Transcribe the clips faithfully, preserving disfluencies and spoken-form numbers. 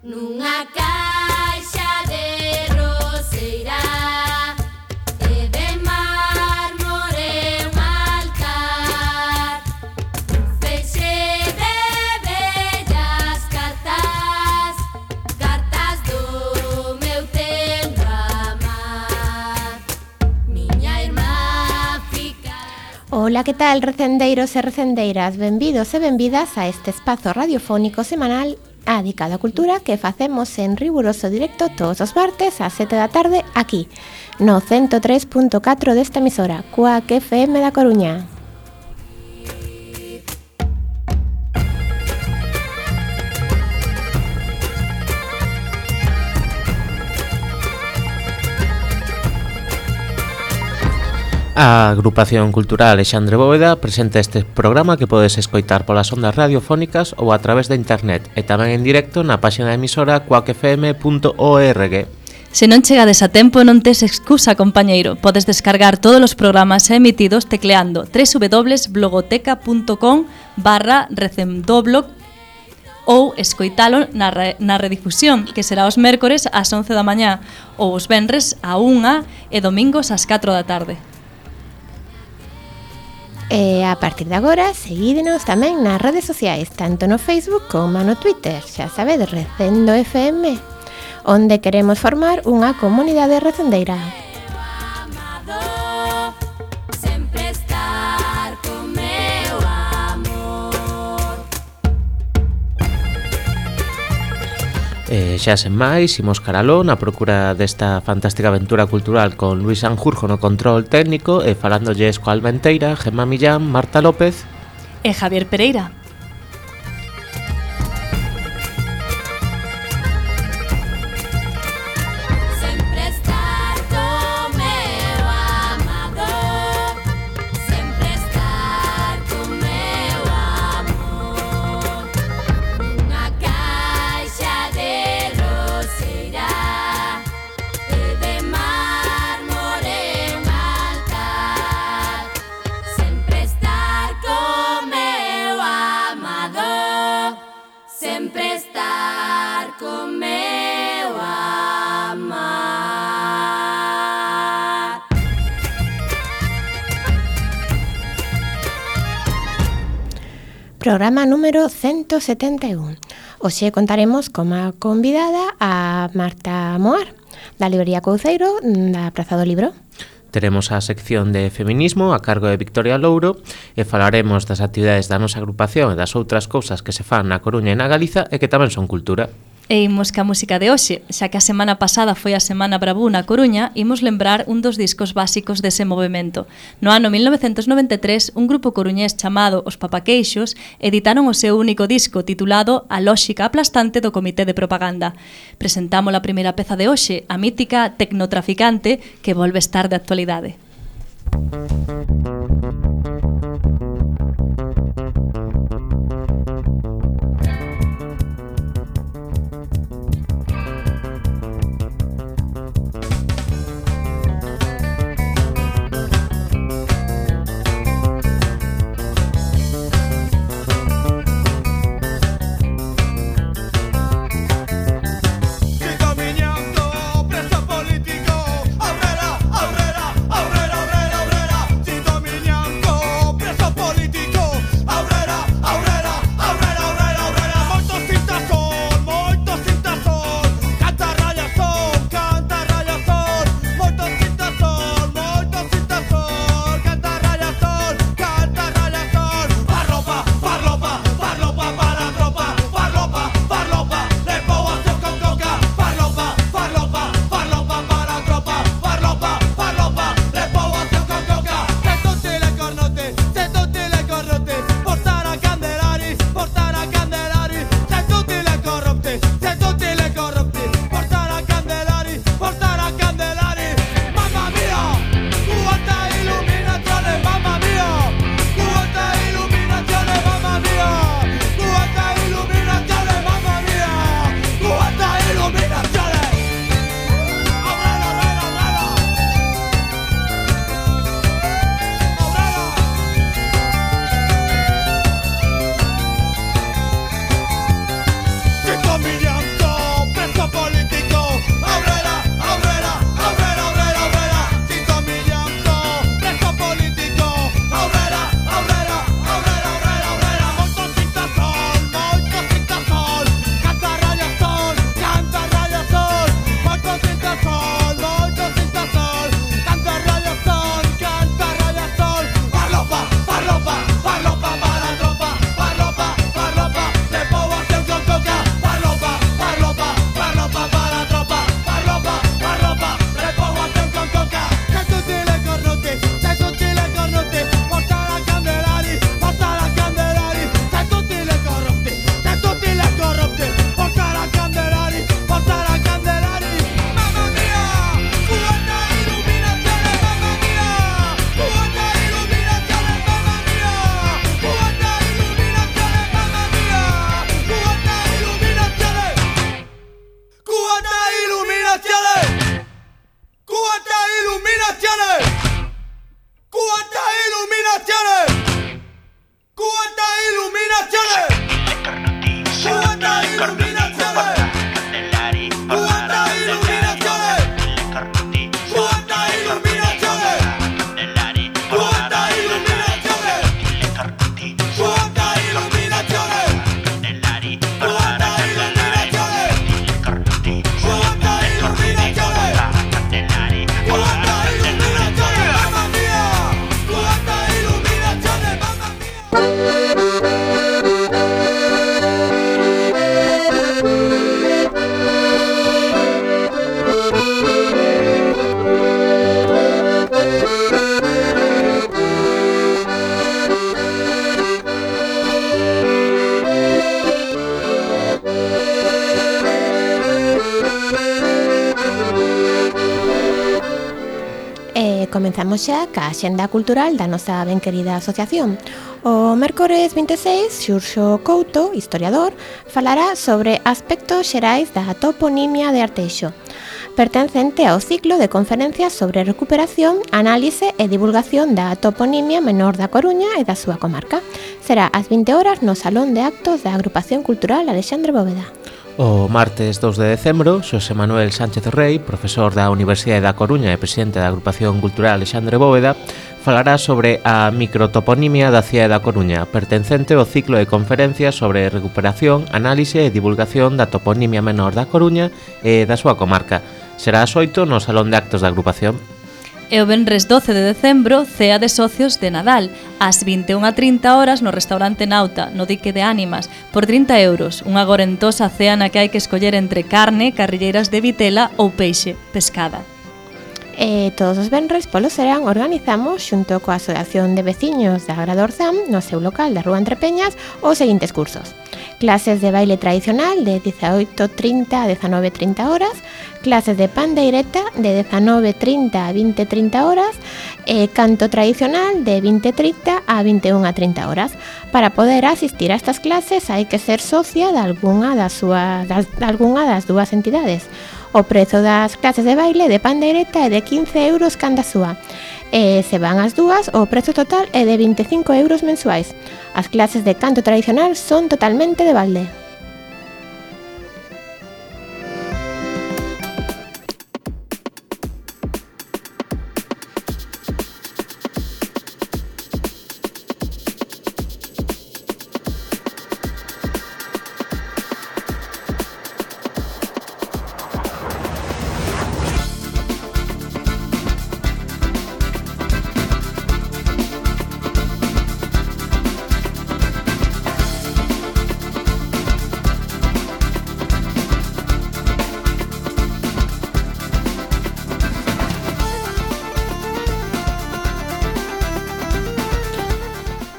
Nunha caixa de roseira e de mármore un altar, un feixe de bellas cartas, cartas do meu tendo amar, miña irmá fica... Ola, que tal, recendeiros e recendeiras? Benvidos e benvidas a este espazo radiofónico semanal dedicado á cultura que facemos en riguroso directo todos os martes ás sete da tarde aquí, no ciento tres punto catro desta emisora, Cuac F M da Coruña. A Agrupación Cultural Alexandre Bóveda presenta este programa que podes escoitar polas ondas radiofónicas ou a través de internet e tamén en directo na páxina da emisora cuac f m punto org. Se non chegades a tempo non tes excusa, compañeiro. Podes descargar todos os programas emitidos tecleando w w w punto blogoteca punto com barra recendoblo ou escoitalo na, re, na redifusión, que será os mércores ás once da mañá ou os venres á unha e domingos ás catro da tarde. E a partir de agora, seguídenos tamén nas redes sociais, tanto no Facebook como no Twitter, xa sabedes, Recendo F M, onde queremos formar unha comunidade recendeira. E xa sen máis, imos caraló na procura desta fantástica aventura cultural con Luis Sanjurjo no control técnico e falándolles coa Almenteira, Gemma Millán, Marta López e Javier Pereira. Programa número ciento setenta y uno. Hoxe contaremos como convidada a Marta Moar, da librería Couceiro, da Praza do Libro. Teremos a sección de feminismo a cargo de Victoria Louro e falaremos das actividades da nosa agrupación e das outras cousas que se fan na Coruña e na Galiza e que tamén son cultura. E imos ca música de hoxe, xa que a semana pasada foi a Semana Bravú na Coruña, imos lembrar un dos discos básicos dese movimento. No ano mil novecentos noventa e tres, un grupo coruñés chamado Os Papaqueixos editaron o seu único disco titulado A Lóxica Aplastante do Comité de Propaganda. Presentamos a primeira peza de hoxe, a mítica Tecnotraficante, que volve estar de actualidade. Político, aurrera, aurrera, aurrera, aurrera, aurrera, si Comenzamos xa ca axenda cultural da nosa ben querida asociación. O mércores vinte e seis, Xurxo Couto, historiador, falará sobre aspectos xerais da toponimia de Arteixo, pertencente ao ciclo de conferencias sobre recuperación, análise e divulgación da toponimia menor da Coruña e da súa comarca. Será ás vinte horas no Salón de Actos da Agrupación Cultural Alexandre Bóveda. O martes dos de decembro, Xosé Manuel Sánchez Rei, profesor da Universidade da Coruña e presidente da Agrupación Cultural Alexandre Bóveda, falará sobre a microtoponimia da cidade da Coruña, pertencente ao ciclo de conferencias sobre recuperación, análise e divulgación da toponimia menor da Coruña e da súa comarca. Será ás oito no Salón de Actos da Agrupación. E o venres doce de decembro, cea de socios de Nadal, ás vinte e unha e trinta horas no restaurante Nauta, no Dique de Ánimas, por trinta euros, unha gorentosa cea na que hai que escoller entre carne, carrilleiras de vitela ou peixe, pescada. E todos os venres polo serán organizamos xunto coa Asociación de Veciños da Agrada Orzán no seu local da Rúa Entre Peñas os seguintes cursos: clases de baile tradicional de dezaoito e trinta a dezanove e trinta horas, clases de pandeireta de dezanove e trinta a vinte e trinta horas e canto tradicional de vinte e trinta a vinte e unha e trinta horas. Para poder asistir a estas clases hai que ser socia de algunha das, súas, das, de algunha das dúas entidades. O prezo das clases de baile de pandeireta é de quince euros canda súa. E se van as dúas, o prezo total é de vinte e cinco euros mensuais. As clases de canto tradicional son totalmente de balde.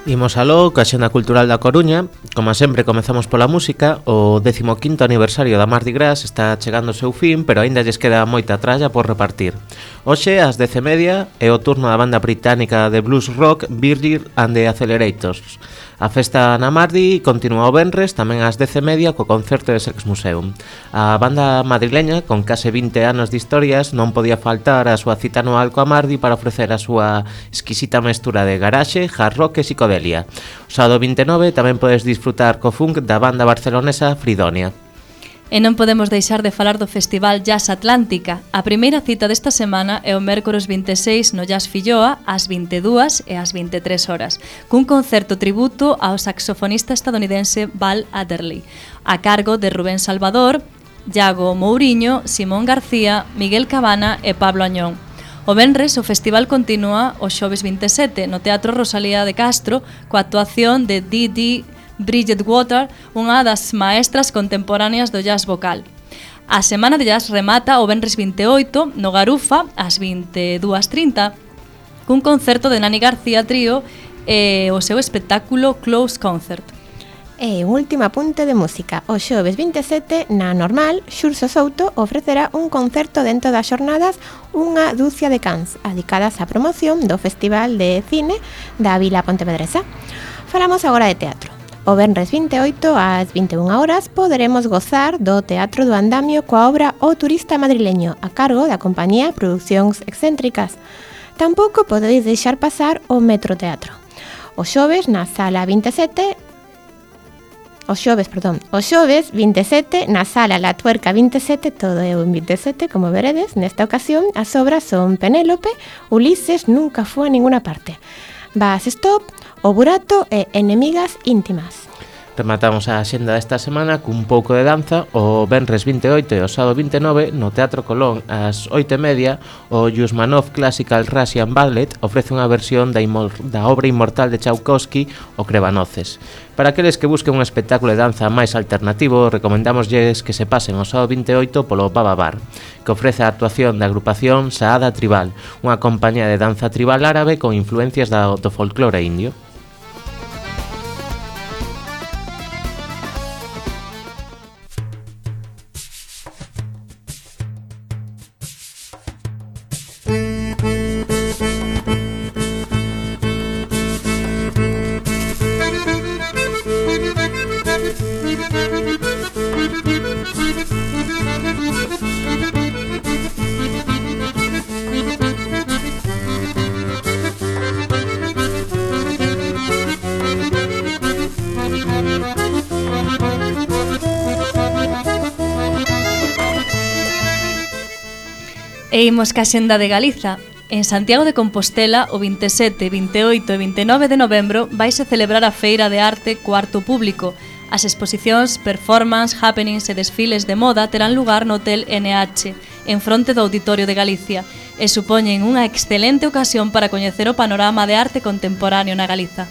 Imos aló, coa Axenda Cultural da Coruña. Como sempre, comezamos pola música. O décimo quinto aniversario da Mardi Gras está chegando ao seu fin, pero aínda lles queda moita tralla por repartir. Hoxe, ás dez e media, é o turno da banda británica de blues rock Virgil and the Accelerators. A festa na Mardi continúa o venres, tamén ás dez e media, co concerto de Sex Museum. A banda madrileña, con case vinte anos de historias, non podía faltar a súa cita anual coa Mardi para ofrecer a súa exquisita mestura de garaxe, hard rock e psicodelia. O sábado vinte e nove tamén podes disfrutar co funk da banda barcelonesa Fridonia. E non podemos deixar de falar do Festival Jazz Atlántica. A primeira cita desta semana é o mércores vinte e seis no Jazz Filloa ás vinte e dúas e ás vinte e tres horas, cun concerto tributo ao saxofonista estadounidense Val Adderley, a cargo de Rubén Salvador, Iago Mouriño, Simón García, Miguel Cabana e Pablo Añón. O venres o festival continúa o xoves vinte e sete no Teatro Rosalía de Castro coa actuación de Didi Bridget Water, unha das maestras contemporáneas do jazz vocal. A semana de jazz remata o venres vinte e oito no Garufa ás vinte e dúas e trinta cun concerto de Nani García Trío e o seu espectáculo Close Concert. E un último apunte de música. O xoves vinte e sete, na Normal, Xurxo Souto ofrecerá un concerto dentro das xornadas Unha dúcia de cans, dedicadas á promoción do Festival de Cine da Vila Pontevedresa. Falamos agora de teatro. O venres vinte e oito ás vinte e unha horas poderemos gozar do Teatro do Andamio coa obra O turista madrileño, a cargo da compañía Producións Excéntricas. Tampouco podedes deixar pasar o Metro Teatro. O xoves, na sala vinte e sete, o xoves, perdón, o xoves vinte e sete na sala La Tuerca vinte e sete, todo é un vinte e sete, como veredes. Nesta ocasión as obras son Penélope, Ulises nunca foi a ninguna parte, Bus Stop, O Burato e Enemigas íntimas. Rematamos a axenda desta semana cun pouco de danza. O venres vinte e oito e o sábado vinte e nove no Teatro Colón ás oito e media o Yusmanov Classical Russian Ballet ofrece unha versión da, da obra inmortal de Tchaikovsky, O Crevanoces. Para aqueles que busquen un espectáculo de danza máis alternativo, recomendámoslles que se pasen o sábado vinte e oito polo Baba Bar, que ofrece a actuación da agrupación Saada Tribal, unha compañía de danza tribal árabe con influencias do, do folclore indio. E imos ca xenda de Galiza. En Santiago de Compostela, o vinte e sete, vinte e oito e vinte e nove de novembro vaise celebrar a Feira de Arte Cuarto Público. As exposicións, performance, happenings e desfiles de moda terán lugar no Hotel N H, en fronte do Auditorio de Galicia, e supoñen unha excelente ocasión para coñecer o panorama de arte contemporáneo na Galiza.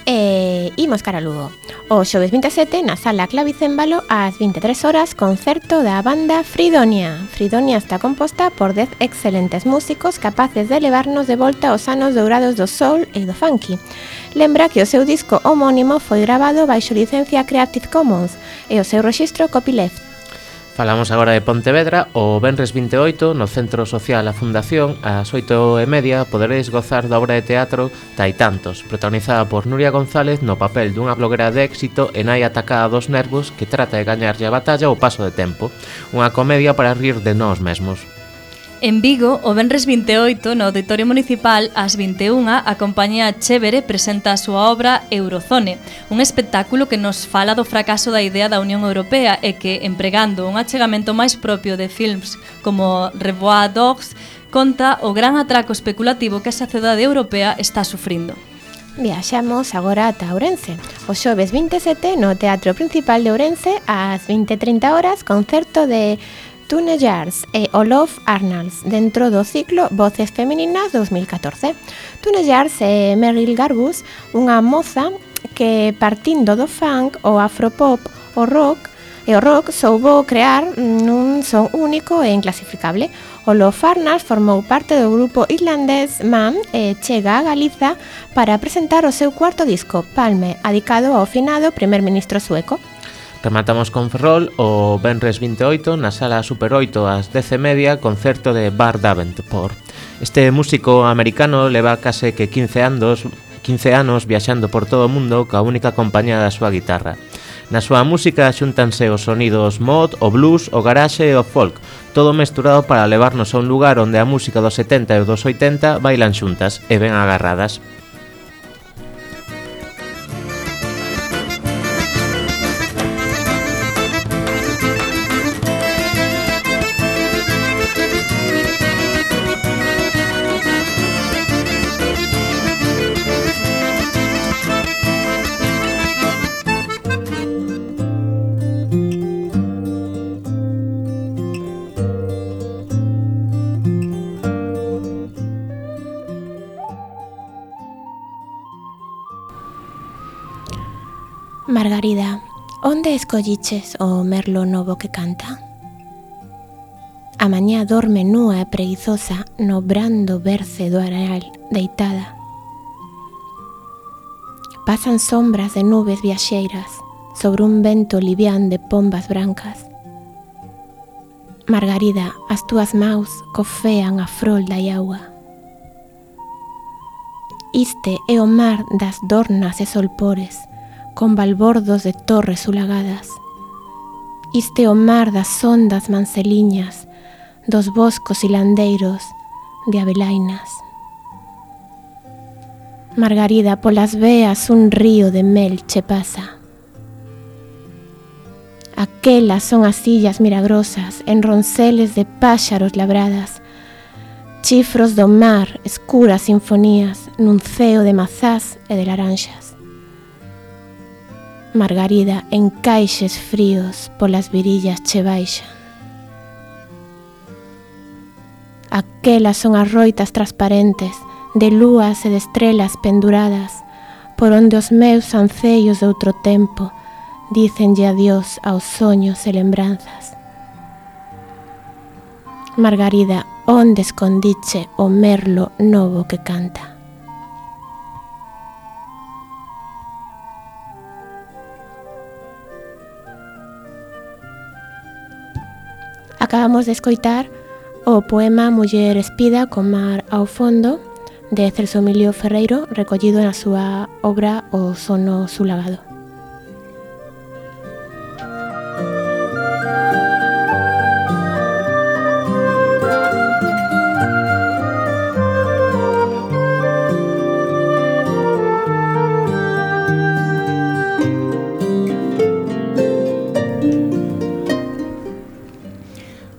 E imos cara a Lugo. O xoves vinte e sete, na sala Clavicémbalo, ás vinte e tres horas, concerto da banda Fridonia. Fridonia está composta por dez excelentes músicos capaces de levarnos de volta aos anos dourados do soul e do funky. Lembra que o seu disco homónimo foi grabado baixo licencia Creative Commons e o seu rexistro copyleft. Falamos agora de Pontevedra. O venres vinte e oito, no Centro Social A Fundación, ás oito e media, poderedes gozar da obra de teatro Taitantos, protagonizada por Nuria González no papel dunha bloguera de éxito e nai atacada dos nervos que trata de gañarlle a batalla ao paso de tempo. Unha comedia para rir de nós mesmos. En Vigo, o venres vinte e oito, no Auditorio Municipal, ás vinte e unha, a compañía Chévere presenta a súa obra Eurozone, un espectáculo que nos fala do fracaso da idea da Unión Europea e que, empregando un achegamento máis propio de films como Revoir Dogs, conta o gran atraco especulativo que a sociedade europea está sufrindo. Viaxamos agora ata Ourense. O xoves vinte e sete, no Teatro Principal de Ourense, ás vinte e trinta horas, concerto de Tune Yards e Olof Arnalds dentro do ciclo Voces Femininas dos mil catorce. Tune Yards é Meryl Garbus, unha moza que, partindo do funk, o afropop, o rock e o rock, soubo crear nun son único e inclasificable. Olof Arnalds formou parte do grupo irlandés Man e chega a Galiza para presentar o seu cuarto disco, Palme, adicado ao finado primer ministro sueco. Rematamos con Ferrol. O venres vinte e oito, na sala Super oito ás dez e media, concerto de Bart Davenport. Este músico americano leva case que quince anos, quince anos viaxando por todo o mundo coa única compañía da súa guitarra. Na súa música xúntanse os sonidos mod, o blues, o garage e o folk, todo mesturado para levarnos a un lugar onde a música dos setenta e dos oitenta bailan xuntas e ben agarradas. Margarida, onde escolliches o merlo novo que canta? A mañá dorme núa e preguizosa no brando berce do areal deitada. Pasan sombras de nubes viaxeiras sobre un vento livián de pombas brancas. Margarida, as túas maus cofean a frol da iagua. Iste é o mar das dornas e solpores, con balbordos de torres ulagadas. Iste o mar das ondas manceliñas, dos boscos hilandeiros de abelainas. Margarida, polas veas un río de mel che pasa. Aquelas son as illas milagrosas en ronceles de páxaros labradas, chifros do mar, escuras sinfonías nun ceo de mazás e de laranxas. Margarida en caixes fríos polas virillas che baixan. Aquelas son as roitas transparentes de lúas e de estrelas penduradas por onde os meus ancellos de outro tempo dícenlle adiós aos soños e lembranzas. Margarida, onde escondiche o merlo novo que canta? Acabamos de escoitar o poema Muller espida co mar ao fondo de Celso Emilio Ferreiro, recollido na súa obra O sono sulagado.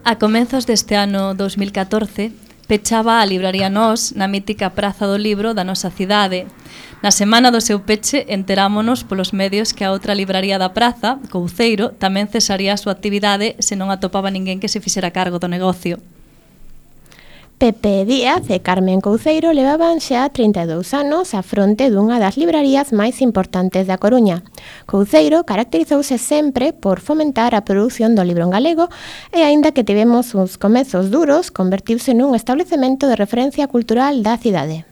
A comenzos deste ano dous mil catorce, pechaba a libraría Nós na mítica Praza do Libro da nosa cidade. Na semana do seu peche enterámonos polos medios que a outra libraría da praza, Couceiro, tamén cesaría a súa actividade se non atopaba ninguén que se fixera cargo do negocio. Pepe Díaz e Carmen Couceiro levaban xa trinta e dous anos á fronte dunha das librarías máis importantes da Coruña. Couceiro caracterizouse sempre por fomentar a produción do libro en galego e, aínda que tivemos uns comezos duros, convertiuse nun establecemento de referencia cultural da cidade.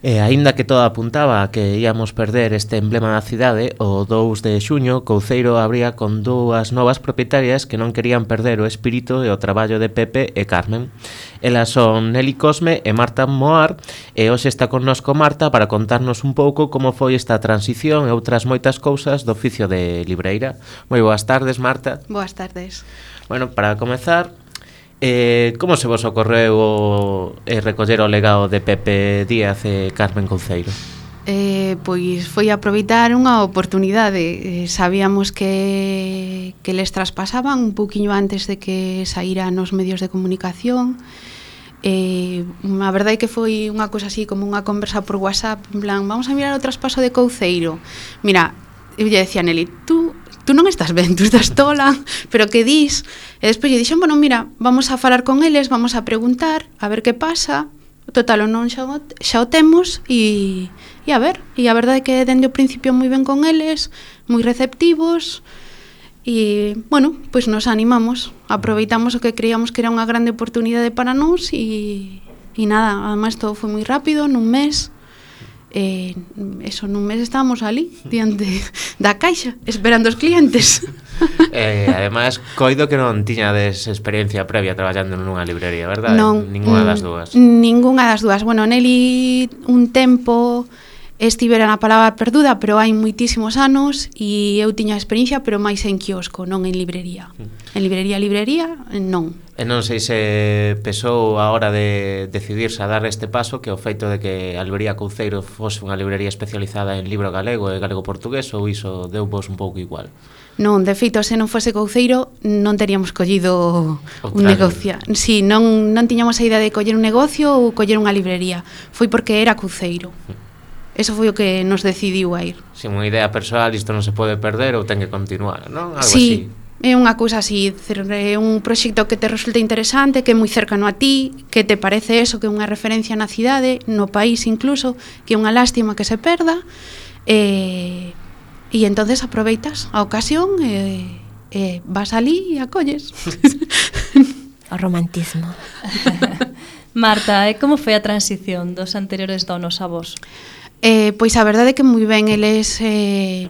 E aínda que todo apuntaba a que íamos perder este emblema da cidade, o dous de xuño Couceiro abría con dúas novas propietarias que non querían perder o espírito e o traballo de Pepe e Carmen. Elas son Nelly Cosme e Marta Moar, e hoxe está connosco Marta para contarnos un pouco como foi esta transición e outras moitas cousas do oficio de libreira. Moi boas tardes, Marta. Boas tardes. Bueno, para comezar, Eh, como se vos ocorreu o, eh, recoller o legado de Pepe Díaz e Carmen Couceiro? Eh, pois foi aproveitar unha oportunidade. Eh, sabíamos que, que les traspasaban un pouquiño antes de que saíran nos medios de comunicación. Eh, a verdade é que foi unha cousa así como unha conversa por WhatsApp, en plan, vamos a mirar o traspaso de Couceiro. Mira, eu lle decía a Nelly, tú tú non estás ben, tú estás tola, pero que dis? E despois lle dixen, bueno, mira, vamos a falar con eles, vamos a preguntar, a ver que pasa, total, o non xa o, xa o temos, e, e a ver, e a verdade é que dende o principio moi ben con eles, moi receptivos, e, bueno, pois nos animamos, aproveitamos o que creíamos que era unha grande oportunidade para nós, e, e nada, además todo foi moi rápido, nun mes, Eh, eso, nun mes estábamos ali diante da caixa esperando os clientes. eh, Ademais, coido que non tiñades experiencia previa traballando nunha librería, verdade? Non, Ninguna das dúas. Ninguna das dúas. Bueno, Nelly un tempo estivera na palabra perduda, pero hai moitísimos anos, e eu tiña experiencia, pero máis en quiosco, non en librería. En librería, librería, non. E non sei se pesou a hora de decidirse a dar este paso que o feito de que a librería Couceiro fose unha librería especializada en libro galego e galego-portugués, ou iso deu vos un pouco igual? Non, de feito, se non fose Couceiro non teríamos collido Outra un negocio. Si, sí, non, non tiñamos a idea de coller un negocio ou coller unha librería. Foi porque era Couceiro. Eso foi o que nos decidiu a ir. Si unha idea persoal, isto non se pode perder ou ten que continuar, non? Algo sí, así. É unha cousa así, é un proxecto que te resulta interesante, que é moi cercano a ti, que te parece eso, que é unha referencia na cidade, no país incluso, que é unha lástima que se perda, e, e entonces aproveitas a ocasión e, e vas ali e acolles. O romantismo. Marta, e como foi a transición dos anteriores donos a vos? Eh, pois a verdade é que moi ben, eles eh,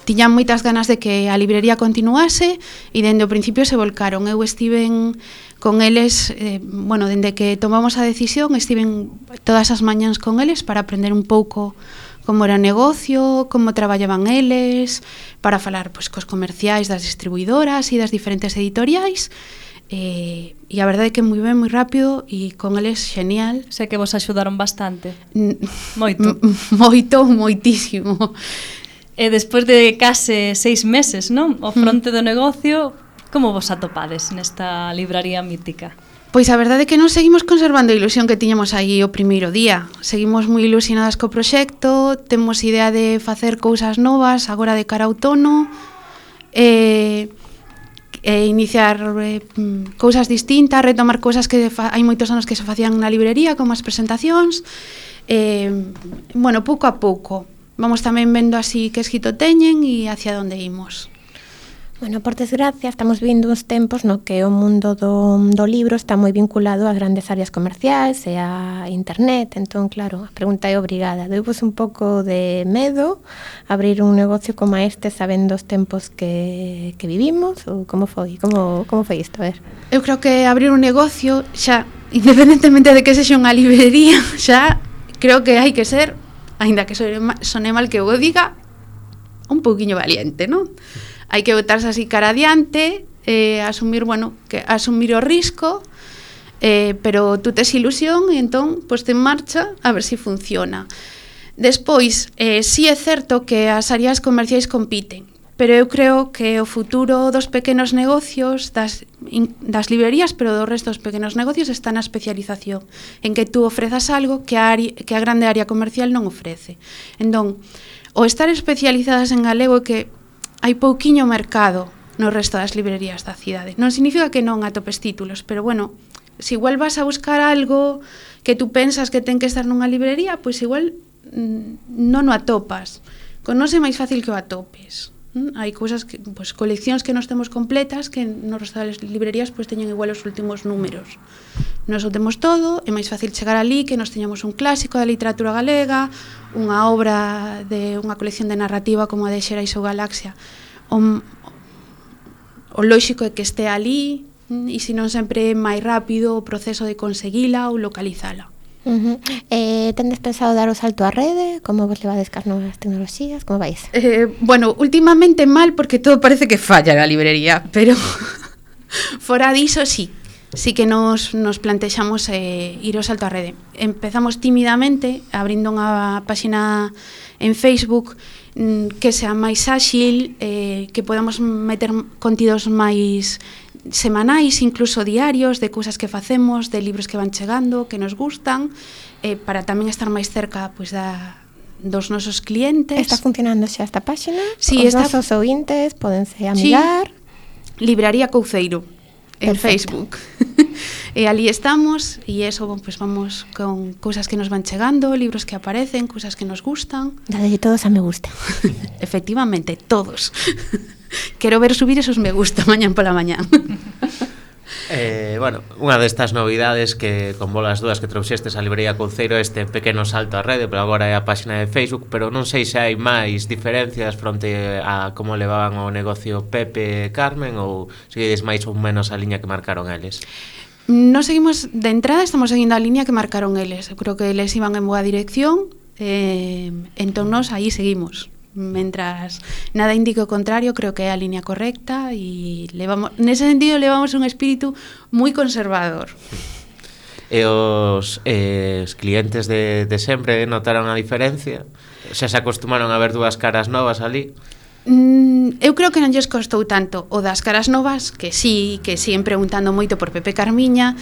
tiñan moitas ganas de que a librería continuase e dende o principio se volcaron. Eu estiven con eles, eh, bueno, dende que tomamos a decisión, estiven todas as mañáns con eles para aprender un pouco como era o negocio, como traballaban eles, para falar pois, cos comerciais das distribuidoras e das diferentes editoriais. Eh, e a verdade é que moi ben, moi rápido, e con eles genial. Sei que vos axudaron bastante. N- Moito. M- moito, moitísimo. E despois de case seis meses, non? O fronte do negocio, como vos atopades nesta libraría mítica? Pois a verdade é que non seguimos conservando a ilusión que tiñamos aí o primeiro día. Seguimos moi ilusionadas co proxecto, temos idea de facer cousas novas agora de cara a outono, e, e iniciar e, cousas distintas, retomar cousas que fa, hai moitos anos que se facían na librería, como as presentacións. E, bueno, pouco a pouco. Vamos tamén vendo así que escrito teñen e hacia onde imos. Bueno, por desgracia, estamos vindo uns tempos no que o mundo do, do libro está moi vinculado ás grandes áreas comerciais e a internet. Entón, claro, a pregunta é obrigada. Deuvos un pouco de medo abrir un negocio como este sabendo os tempos que, que vivimos? Ou como foi? Como, como foi isto? A ver. Eu creo que abrir un negocio xa, independentemente de que sexa unha librería, xa creo que hai que ser, aínda que sone mal que eu o diga, un pouquiño valiente, non? Hai que botarse así cara adiante, eh, asumir, bueno, que asumir o risco, eh, pero tú tes ilusión e entón, pois te en marcha a ver se si funciona. Despois, eh, sí é certo que as áreas comerciais compiten, pero eu creo que o futuro dos pequenos negocios, das, in, das librerías, pero do resto dos pequenos negocios está na especialización, en que tú ofrezas algo que a, área, que a grande área comercial non ofrece. Entón, o estar especializadas en galego é que hai pouquiño mercado no resto das librerías da cidade. Non significa que non atopes títulos, pero bueno, se igual vas a buscar algo que tú pensas que ten que estar nunha librería, pois igual mm, non o atopas. Con non é máis fácil que o atopes. Mm? Hai cousas que, pois, coleccións que nos temos completas que no resto das librerías pois teñen igual os últimos números. Nos o temos todo, é máis fácil chegar ali que nos teñamos un clásico da literatura galega, unha obra de unha colección de narrativa como a de Xerais ou Galaxia. O, o lóxico é que este ali, e se non sempre é máis rápido o proceso de conseguila ou localizala. Uh-huh. Eh, tendes pensado dar o salto á rede? Como vos levades cas novas tecnoloxías? Como vais? Eh, bueno, últimamente mal porque todo parece que falla na librería, pero fora diso sí. Sí que nos, nos plantexamos eh, ir ao salto á rede. Empezamos tímidamente abrindo unha páxina en Facebook mm, que sea máis áxil, eh, que podamos meter contidos máis semanais, incluso diarios, de cousas que facemos, de libros que van chegando, que nos gustan, eh, para tamén estar máis cerca pois, da, dos nosos clientes. Está funcionando xa esta páxina? Sí, os está... nosos ouvintes podense amigar? Sí. Libraría Couceiro en Perfecto. Facebook. E ali estamos e eso, pues vamos con cousas que nos van chegando, libros que aparecen, cousas que nos gustan. Dadelle todos a me gusta. Efectivamente, todos. Quero ver subir esos me gusta mañán pola mañán. Eh, bueno, unha destas novidades que con bolas dúas que trouxestes a librería Couceiro, este pequeno salto á rede, pero agora é a páxina de Facebook, pero non sei se hai máis diferencias fronte a como levaban o negocio Pepe e Carmen, ou seguides máis ou menos a liña que marcaron eles? Non seguimos, de entrada estamos seguindo a liña que marcaron eles. Eu creo que eles iban en boa dirección, eh, entón nos aí seguimos. Mentras nada indique o contrario, creo que é a línea correcta e levamos, nese sentido levamos un espírito moi conservador. E os, eh, os clientes de, de sempre notaron a diferencia? Xa se acostumaron a ver dúas caras novas ali? Mm, eu creo que non lles costou tanto o das caras novas, que sí, que siguen preguntando moito por Pepe Carmiña,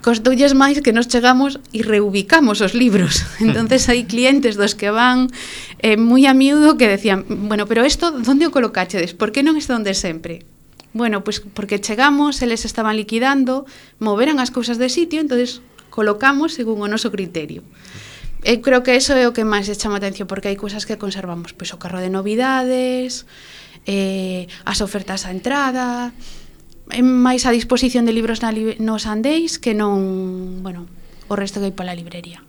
costoulles máis que nos chegamos e reubicamos os libros. Entonces hai clientes dos que van eh, moi a miúdo que decían, bueno, pero isto, onde o colocachedes? Por que non está onde sempre? Bueno, pois pues porque chegamos, eles estaban liquidando, moveran as cousas de sitio, entonces colocamos según o noso criterio. Eu creo que eso é o que máis chama a atención, porque hai cousas que conservamos, pois o carro de novidades, eh, as ofertas á entrada, é máis a disposición de libros na li- nos andéis que non, bueno, o resto que hai pola librería.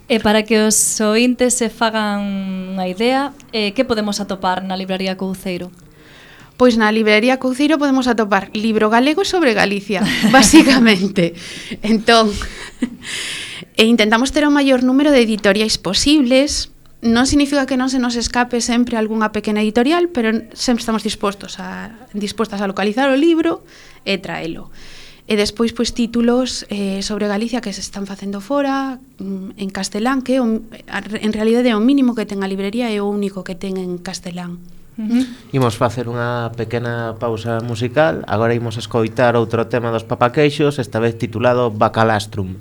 E para que os ointes se fagan unha idea, eh, que podemos atopar na librería Couceiro? Pois na librería Couceiro podemos atopar libro galego sobre Galicia, basicamente. Entón, e intentamos ter o maior número de editoriais posibles. Non significa que non se nos escape sempre algunha pequena editorial, pero sempre estamos dispostos a, dispostas a localizar o libro e traelo. e despois pois títulos eh, sobre Galicia que se están facendo fora en castelán, que o, en realidade é o mínimo que ten a librería e o único que ten en castelán. Uh-huh. Imos facer unha pequena pausa musical. Agora imos escoitar outro tema dos Papaqueixos, esta vez titulado Bacalastrum.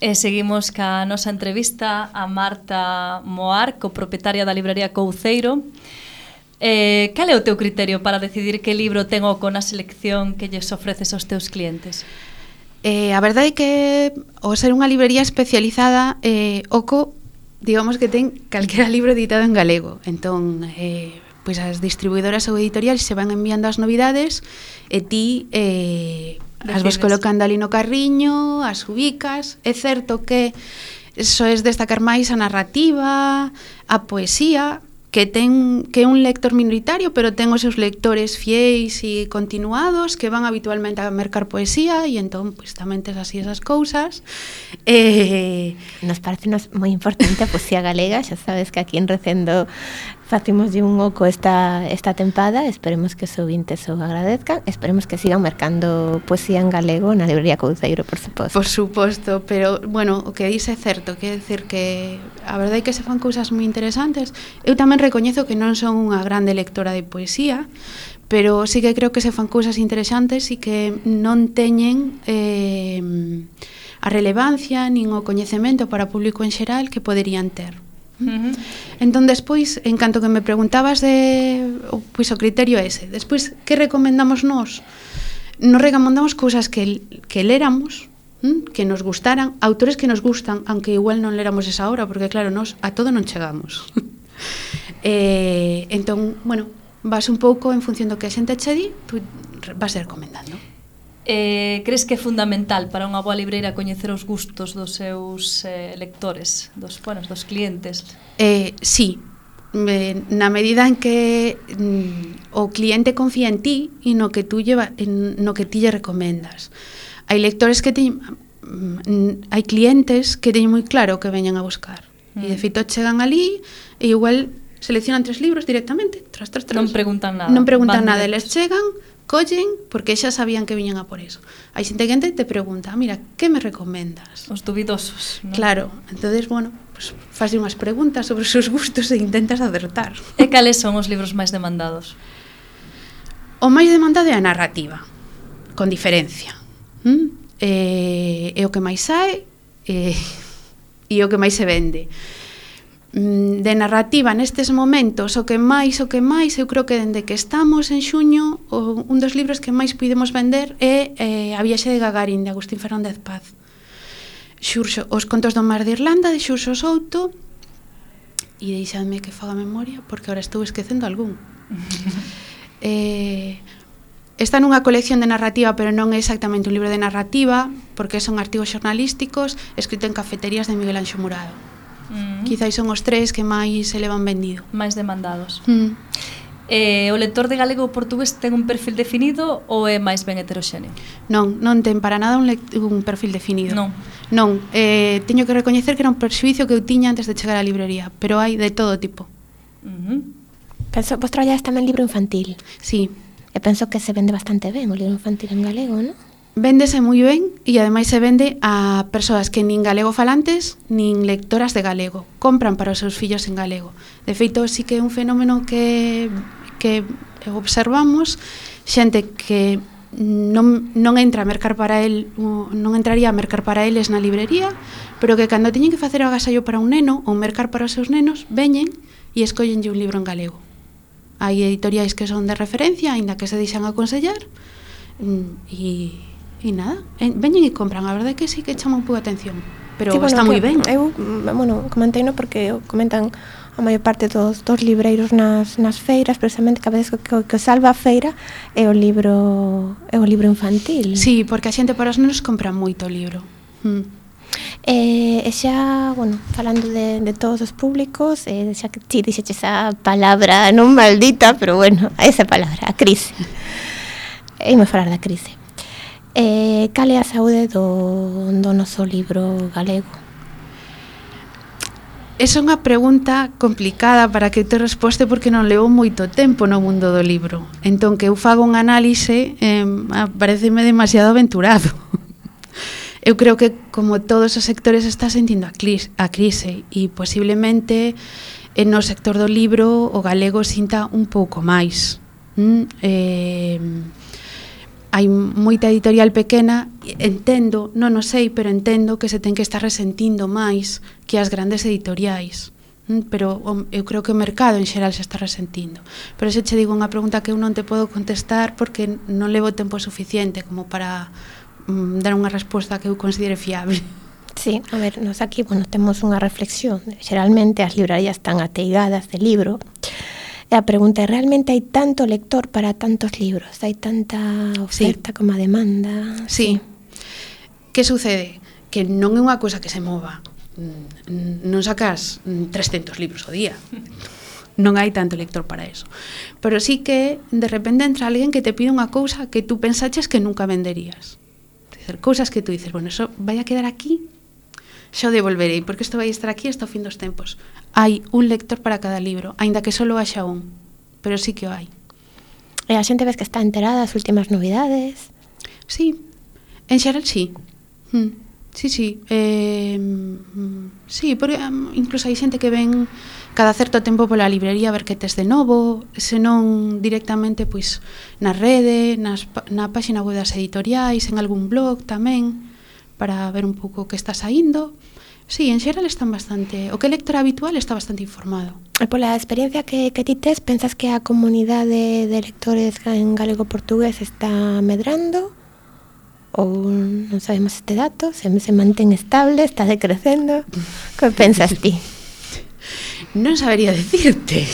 E seguimos ca nosa entrevista a Marta Moar, copropietaria da librería Couceiro. Eh, cal é o teu criterio para decidir que libro ten oco na selección que lles ofreces aos teus clientes? Eh, a verdade é que ao ser unha librería especializada, eh, oco, digamos que ten calquera libro editado en galego. Entón, eh, pois as distribuidoras ou editoriais se van enviando as novidades e ti eh, as vas colocando ali no carriño, as ubicas. É certo que soes destacar máis a narrativa, a poesía, que ten que é un lector minoritario, pero ten os seus lectores fiéis e continuados que van habitualmente a mercar poesía e entón pues, tamén tes así esas cousas. Eh, Nos parece nos moi importante a poesía galega, xa sabes que aquí en Recendo facimos de un oco esta, esta tempada, esperemos que os ouvintes o agradezcan, esperemos que sigan mercando poesía en galego na librería Couceiro, por suposto. Por suposto, pero, bueno, o que dice é certo, quer decir que a verdade é que se fan cousas moi interesantes. Eu tamén recoñezo que non son unha grande lectora de poesía, pero sí que creo que se fan cousas interesantes e que non teñen eh, a relevancia nin o coñecemento para o público en xeral que poderían ter. Uh-huh. Entón despois, en canto que me preguntabas de pois o criterio ese, despois que recomendamos nós? Nos recomendamos cousas que, que léramos, ¿m? Que nos gustaran, autores que nos gustan, aunque igual non léramos esa obra, porque claro, nos a todo non chegamos. Eh, entón, bueno, vas un pouco en función do que a xente che di, tú vas recomendando. Eh, crees que é fundamental para unha boa libreira coñecer os gustos dos seus eh, lectores, dos, bueno, dos clientes? Eh, sí, eh, na medida en que mm, o cliente confía en ti e no que tú lleva, en, no que ti lle recomendas. Hai lectores que ti, mm, hai clientes que teñen moi claro o que veñen a buscar. Mm. E de feito chegan ali e igual seleccionan tres libros directamente, tras, tras, tras. Non preguntan nada. Non preguntan nada, directos. eles chegan, collen, porque xa sabían que viñan a por eso. Hai xente que te pregunta, mira, que me recomendas? Os dubidosos, non? Claro, entonces, bueno, pues, faz unhas preguntas sobre os seus gustos e intentas acertar. E cales son os libros máis demandados? O máis demandado é a narrativa, con diferencia. ¿Mm? Eh, é o que máis sae eh, e o que máis se vende. De narrativa nestes momentos o que máis, o que máis eu creo que dende que estamos en xuño o, un dos libros que máis podemos vender é eh, A viaxe de Gagarin de Agustín Fernández Paz, Xurxo, Os contos do mar de Irlanda de Xurxo Souto, e deixadme que faga memoria porque ahora estou esquecendo algún. eh, está nunha colección de narrativa, pero non é exactamente un libro de narrativa porque son artigos xornalísticos escrito en cafeterías de Miguel Anxo Murado. Mm. Quizais son os tres que máis se levan vendido. Máis demandados. Mm. Eh, o lector de galego ou portugués ten un perfil definido ou é máis ben heteroxéneo? Non, non ten para nada un, un perfil definido. Non. Non, eh, teño que recoñecer que era un perxuicio que eu tiña antes de chegar á librería, pero hai de todo tipo. Uh-huh. Penso, vos traballades tamén libro infantil. Sí. E penso que se vende bastante ben o libro infantil en galego, non? Véndese moi ben e ademais se vende a persoas que nin galego falantes nin lectoras de galego. Compran para os seus fillos en galego. De feito, sí que é un fenómeno que, que observamos, xente que non, non entra a mercar para el, non entraría a mercar para eles na librería, pero que cando teñen que facer o agasallo para un neno ou mercar para os seus nenos, veñen e escollenlle un libro en galego. Hai editoriais que son de referencia, aínda que se deixan aconsellar, e E nada, veñen e compran, a verdade é que sí que chama un pouco a atención, pero sí, bueno, está moi ben. Eu, bueno, comenteino porque comentan a maior parte dos, dos libreiros nas, nas feiras, precisamente que a veces que, que salva a feira é o libro é o libro infantil. Sí, porque a xente para os nenos compra moito o libro. Mm. E, e xa, bueno, falando de, de todos os públicos, eh, xa que ti dixeche esa palabra non maldita, pero bueno, esa palabra, a crise. E me falar da crise. Eh, cal é a saúde do, do noso libro galego? Esa é unha pregunta complicada para que te resposte porque non levo moito tempo no mundo do libro. Entón, que eu fago un análise eh, pareceme demasiado aventurado. Eu creo que, como todos os sectores, está sentindo a, clis, a crise e posiblemente no sector do libro o galego sinta un pouco máis. Mm, eh, hai moita editorial pequena, entendo, non o sei, pero entendo que se ten que estar resentindo máis que as grandes editoriais. Pero eu creo que o mercado en xeral se está resentindo. Pero se che digo unha pregunta que eu non te podo contestar porque non levo tempo suficiente como para um, dar unha resposta que eu considere fiable. Sí, a ver, nos aquí, bueno, temos unha reflexión. Xeralmente as librarías están ateigadas de libro. E a pregunta é, realmente hai tanto lector para tantos libros? Hai tanta oferta sí. como a demanda? Sí. sí. Que sucede? Que non é unha cousa que se mova. Non sacas trescentos libros ao día. Non hai tanto lector para eso. Pero sí que de repente entra alguén que te pide unha cousa que tú pensaches que nunca venderías. Dicer, cousas que tú dices, bueno, eso vai a quedar aquí, xa o devolverei, porque isto vai estar aquí hasta o fin dos tempos. Hai un lector para cada libro, aínda que só haxa un, pero sí que o hai. E a xente ves que está enterada das últimas novidades? Sí, en xeral sí. Mm, sí, sí. Eh, mm, sí, porque um, incluso hai xente que ven cada certo tempo pola librería a ver que tes de novo, senón directamente pois na rede, nas, na páxina web das editoriais, en algún blog tamén, para ver un pouco o que está saindo. Sí, en xeral están bastante... O que é lector habitual está bastante informado. E pola experiencia que, que ti tes, pensas que a comunidade de lectores en galego-portugués está medrando? Ou non sabemos este dato? Se, se mantén estable? Está decrecendo? Que pensas ti? Non sabería decirte.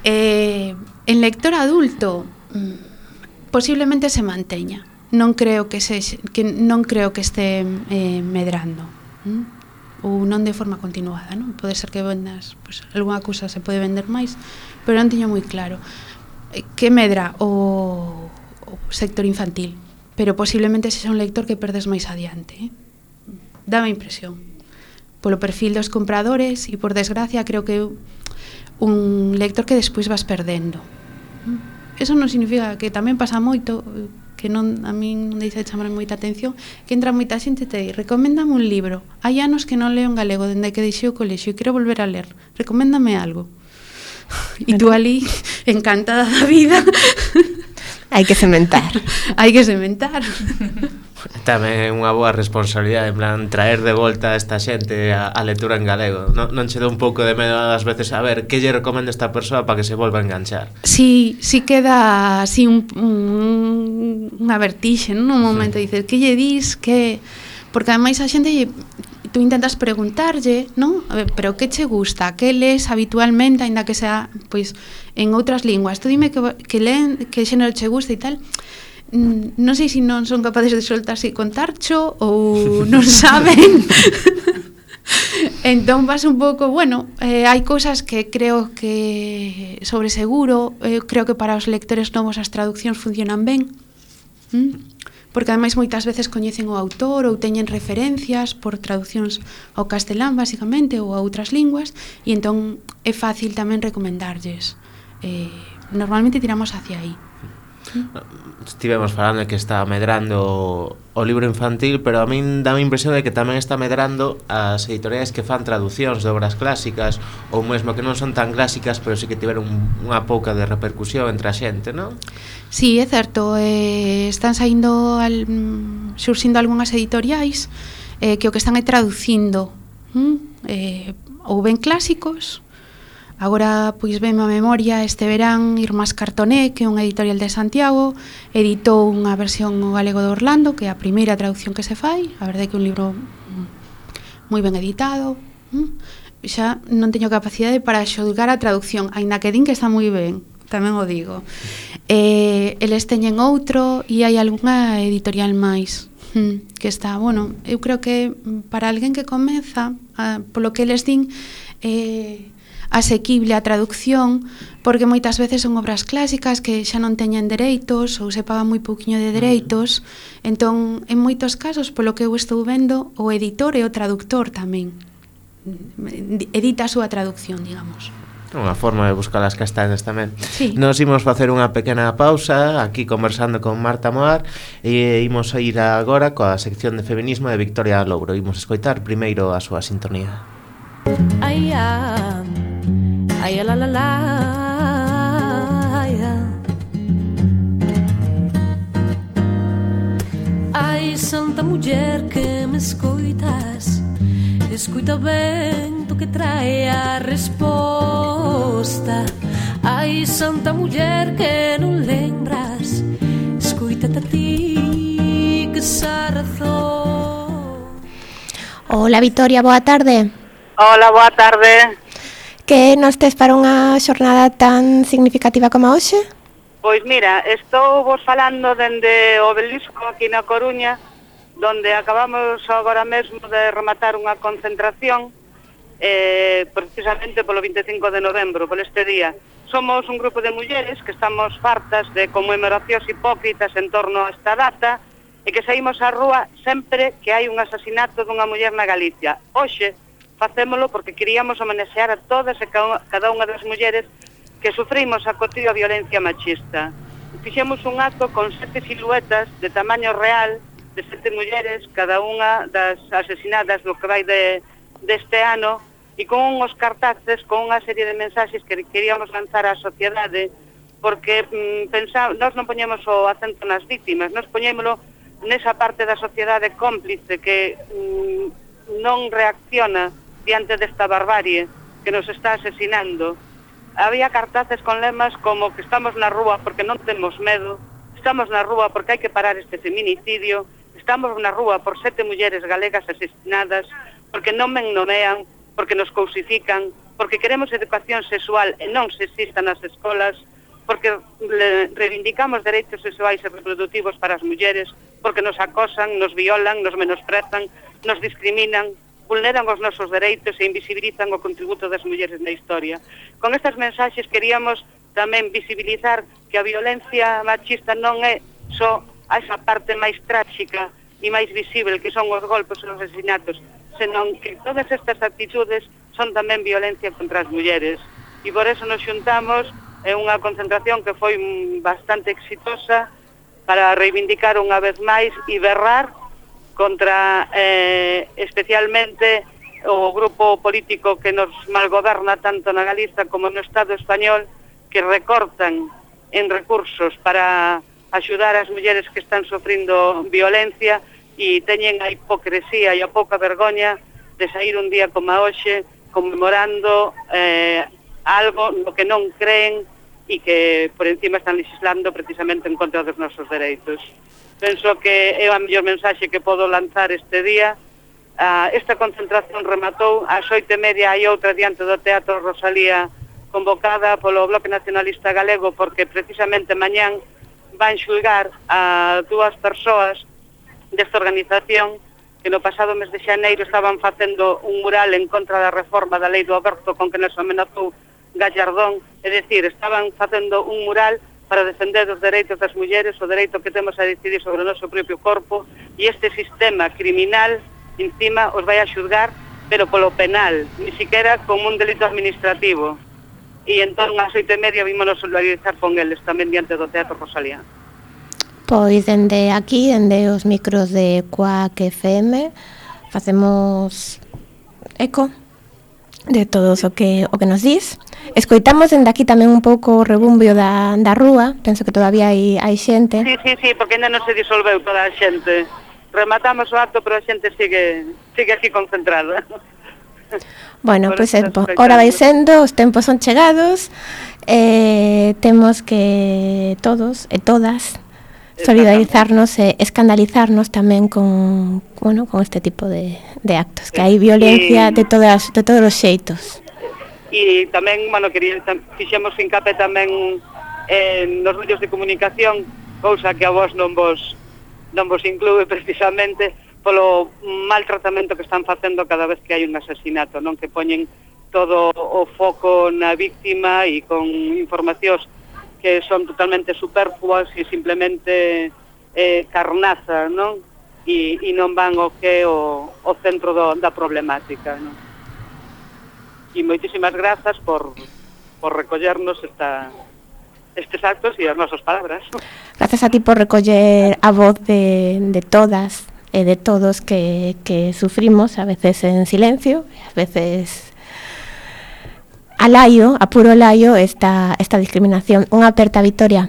eh, en lector adulto posiblemente se manteña. Non creo que se que non creo que este eh, medrando. ¿Mm? Ou non de forma continuada, non? Pode ser que vendas, pues, algunha cousa se pode vender máis, pero non teño moi claro que medra o, o sector infantil, pero posiblemente sexa un lector que perdes máis adiante, eh? Dame impresión polo perfil dos compradores e, por desgracia, creo que un lector que despois vas perdendo. Eso non significa que tamén pasa moito, que non, a min non deixa de chamar moita atención, que entra moita xente e te di, recoméndame un libro, hai anos que non leo en galego dende que deixei o colexio e quero volver a ler, recoméndame algo. E tú ali, encantada da vida. Hai que sementar. Hai que sementar. Tamén é unha boa responsabilidade, en plan, traer de volta a esta xente a, a lectura en galego. Non, non che dá un pouco de medo ás veces a ver que lle recomenda esta persoa para que se volva a enganchar? Sí, sí queda así un, un, unha vertixe, non? Un momento, sí. Dices, que lle dis, que... Porque ademais a xente, tú intentas preguntarlle, non? A ver, pero que che gusta? Que lees habitualmente, aínda que sea, pois, en outras linguas? Tú dime que, que leen, que xénero che gusta e tal... Non sei se non son capaces de soltarse e contarcho ou non saben. Entón vas un pouco, bueno, eh, hai cousas que creo que sobre seguro, eh, creo que para os lectores novos as traduccións funcionan ben, ¿Mm? Porque ademais moitas veces coñecen o autor ou teñen referencias por traduccións ao castelán basicamente ou a outras linguas, e entón é fácil tamén recomendarlles. Eh, normalmente tiramos hacia aí. Estivemos falando de que está medrando o libro infantil, pero a min dá a impresión de que tamén está medrando as editoriais que fan traducións de obras clásicas, ou mesmo que non son tan clásicas, pero sí que tiveron unha pouca de repercusión entre a xente, non? Sí, é certo, eh, están saindo al, xursindo algunhas editoriais eh, que o que están é traducindo hm? eh, ou ben clásicos. Agora, pois, ben a memoria, este verán Irmás Cartoné, que é unha editorial de Santiago, editou unha versión ao galego de Orlando, que é a primeira traducción que se fai. A verdade é que é un libro moi ben editado. Xa non teño capacidade para xulgar a traducción, aínda que din que está moi ben, tamén o digo. Eh, eles teñen outro e hai algunha editorial máis que está, bueno, eu creo que para alguén que comeza, polo que eles din, eh, asequible a traducción, porque moitas veces son obras clásicas que xa non teñen dereitos ou se paga moi pouquiño de dereitos. Entón, en moitos casos, polo que eu estou vendo, o editor e o traductor tamén edita a súa traducción, digamos. Unha forma de buscar as castañas tamén. Sí. Nos imos facer unha pequena pausa aquí conversando con Marta Moar e imos a ir agora coa sección de feminismo de Victoria Louro. Imos escoitar primeiro a súa sintonía. Ai, ah, ai, la, la, la, ai, ah. Ai, santa muller que me escoitas, escoita ben tu que trae a resposta. Ai, santa muller que non lembras, escoítate a ti que xa razón. Hola, Victoria, boa tarde. Hola, boa tarde. Que nos tes para unha xornada tan significativa como hoxe? Pois mira, estou vos falando dende o Obelisco aquí na Coruña, donde acabamos agora mesmo de rematar unha concentración eh, precisamente polo vinte e cinco de novembro, por este día. Somos un grupo de mulleres que estamos fartas de conmemoracións hipócritas en torno a esta data e que saímos á rúa sempre que hai un asasinato dunha muller na Galicia. Hoxe facémolo porque queríamos homenaxear a todas e cada unha das mulleres que sufrimos a cotidiana violencia machista. Fixemos un acto con sete siluetas de tamaño real de sete mulleres, cada unha das asesinadas no que vai de, deste ano, e con uns cartaces, con unha serie de mensaxes que queríamos lanzar á sociedade, porque mm, pensamos, nós non poñemos o acento nas vítimas, nós poñémolo nesa parte da sociedade cómplice que mm, non reacciona diante desta barbarie que nos está asesinando. Había cartaces con lemas como que estamos na rúa porque non temos medo, estamos na rúa porque hai que parar este feminicidio, estamos na rúa por sete mulleres galegas asesinadas, porque non me nomean, porque nos cousifican, porque queremos educación sexual e non sexista nas escolas, porque reivindicamos dereitos sexuais e reproductivos para as mulleres, porque nos acosan, nos violan, nos menosprezan, nos discriminan, vulneran os nosos dereitos e invisibilizan o contributo das mulleres na historia. Con estas mensaxes queríamos tamén visibilizar que a violencia machista non é só a esa parte máis tráxica e máis visible que son os golpes e os asesinatos, senón que todas estas actitudes son tamén violencia contra as mulleres. E por eso nos xuntamos en unha concentración que foi bastante exitosa para reivindicar unha vez máis e berrar contra eh, especialmente o grupo político que nos malgoberna tanto na Galiza como no Estado español, que recortan en recursos para axudar as mulleres que están sofrindo violencia e teñen a hipocresía e a pouca vergoña de sair un día como hoxe conmemorando eh, algo no que non creen e que por encima están legislando precisamente en contra dos nosos dereitos. Penso que é a mellor mensaxe que podo lanzar este día. Uh, esta concentración rematou ás oito e media, hai outra diante do Teatro Rosalía convocada polo Bloque Nacionalista Galego, porque precisamente mañán van xulgar a dúas persoas desta organización que no pasado mes de xaneiro estaban facendo un mural en contra da reforma da lei do aborto con que nos amenazou Gallardón, é dicir, estaban facendo un mural para defender os dereitos das mulleres, o dereito que temos a decidir sobre o noso propio corpo, e este sistema criminal encima os vai a xulgar, pero polo penal, ni siquiera como un delito administrativo. E entón, ás oito e media, vímonos solidarizar con eles tamén diante do Teatro Rosalía. Pois, dende aquí, dende os micros de Quack F M, facemos eco de todo o que o que nos dis. Escoitamos dende aquí tamén un pouco o rebumbio da, da rúa. Penso que todavía hai, hai xente. Sí, sí, sí, porque ainda non se disolveu toda a xente. Rematamos o acto, pero a xente sigue sigue aquí concentrada. Bueno, pois pues, eh, ora vai sendo, os tempos son chegados, eh, temos que todos e todas solidarizarnos e escandalizarnos tamén con, bueno, con este tipo de, de actos, que hai violencia de todas de todos os xeitos. E tamén, bueno, quería, fixemos fincapé tamén en nos medios de comunicación, cousa que a vos non vos non vos inclúe precisamente polo mal tratamento que están facendo cada vez que hai un asesinato, non, que poñen todo o foco na víctima e con informacións que son totalmente superfluas e simplemente eh, carnaza, non? E, e non van o que é o, o centro do, da problemática, non? E moitísimas grazas por, por recollernos esta, estes actos e as nosas palabras. Gracias a ti por recoller a voz de, de todas e de todos que, que sufrimos, a veces en silencio, a veces a laio, a puro laio, esta, esta discriminación. Unha aperta Victoria.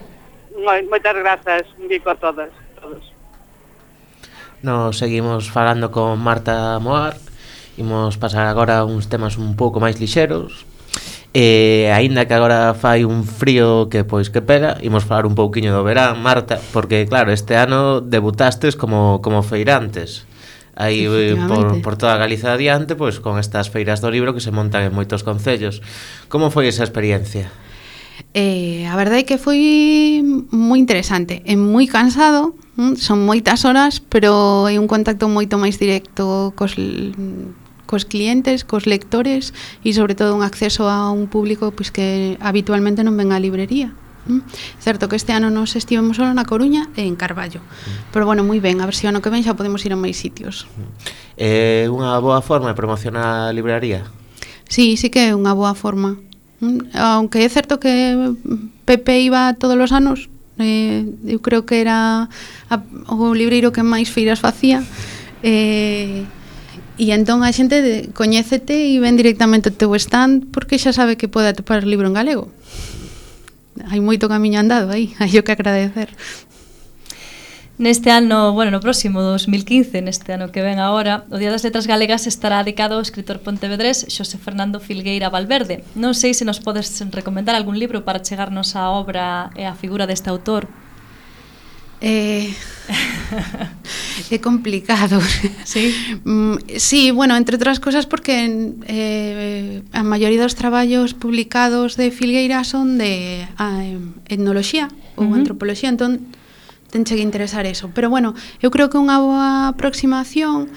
Moitas grazas, un bico a todas, todos. Nos seguimos falando con Marta Moar. Imos pasar agora uns temas un pouco máis lixeros. E aínda que agora fai un frío que pois que pega, imos falar un pouquiño do verán, Marta, porque claro, este ano debutastes como como feirantes. Aí por, por toda Galiza adiante, pois con estas feiras do libro que se montan en moitos concellos. Como foi esa experiencia? Eh, a verdade é que foi moi interesante, é moi cansado, son moitas horas, pero é un contacto moito máis directo cos, cos clientes, cos lectores e sobre todo un acceso a un público pois, que habitualmente non ven á librería. Mm. Certo que este ano nos estivemos solo na Coruña e en Carballo, mm. pero bueno, moi ben, a ver se o ano que ven xa podemos ir a máis sitios. É unha boa forma de promocionar a libraría? Sí, sí que é unha boa forma, mm. aunque é certo que Pepe iba todos os anos, eh, eu creo que era a, o libreiro que máis feiras facía, eh, e entón a xente de, coñécete e ven directamente o teu stand porque xa sabe que pode atopar o libro en galego. Hai moito camiño andado aí, hai o que agradecer. Neste ano, bueno, no próximo dos mil quince, neste ano que ven agora, o Día das Letras Galegas estará dedicado ao escritor pontevedrés Xosé Fernando Filgueira Valverde. Non sei se nos podes recomendar algún libro para chegarnos á obra e á figura deste autor. Eh, é complicado. Sí? Mm, sí, bueno, entre outras cosas porque eh, a maioría dos traballos publicados de Filgueira son de a, etnoloxía ou Uh-huh. antropoloxía, entón tenche que interesar eso. Pero bueno, eu creo que unha boa aproximación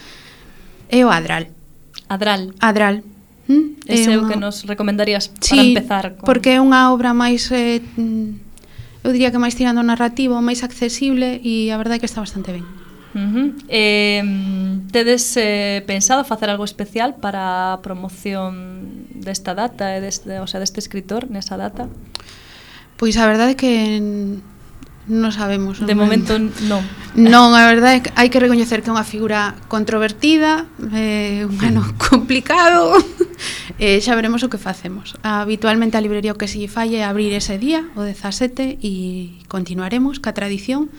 é o Adral. Adral. Adral. ¿Mm? Ese é o unha- que nos recomendarías para Sí, empezar con... porque é unha obra máis eh, mm, eu diría que máis tirando ao narrativo, máis accesible e a verdade é que está bastante ben. Uh-huh. Eh, tedes eh, pensado facer algo especial para a promoción desta data, e deste, o sea, deste escritor nesa data? Pois a verdade é que non sabemos. De non- momento non. Non, a verdade é que hai que recoñecer que é unha figura controvertida, eh, un ano complicado, e xa veremos o que facemos. Habitualmente a librería o que se lle falle é abrir ese día, o dezasete, e continuaremos ca tradición,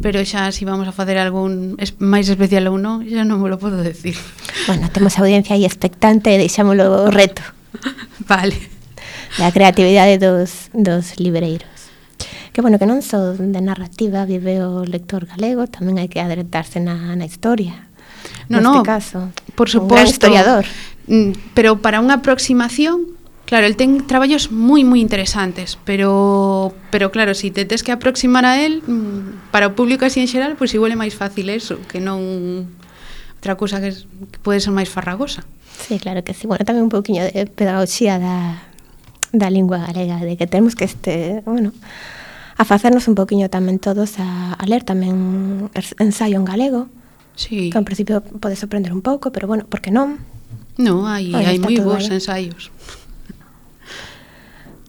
pero xa si vamos a facer algún es, máis especial ou non, xa non me lo podo decir. Bueno, temos a audiencia aí expectante e deixámolo o reto Vale. da creatividade dos, dos libreiros. Que bueno, que non só de narrativa vive o lector galego, tamén hai que adaptarse na, na historia. No, Neste no, caso, por un gran suposto. historiador. Mm, Pero para unha aproximación, claro, el ten traballos moi moi interesantes, pero pero claro, si te tes que aproximar a él, mm, para o público así en xeral, pois pues igual é máis fácil eso, que non outra cousa que, es, que pode ser máis farragosa. Sí, claro que sí. Bueno, tamén un pouquiño de pedagogía da, da lingua galega, de que temos que este, bueno, a facernos un pouquiño tamén todos a, a ler tamén ensaio en galego, Sí. que en principio pode sorprender un pouco, pero bueno, por que non? No, hai Aí hai está moi todo bons aí. ensaios.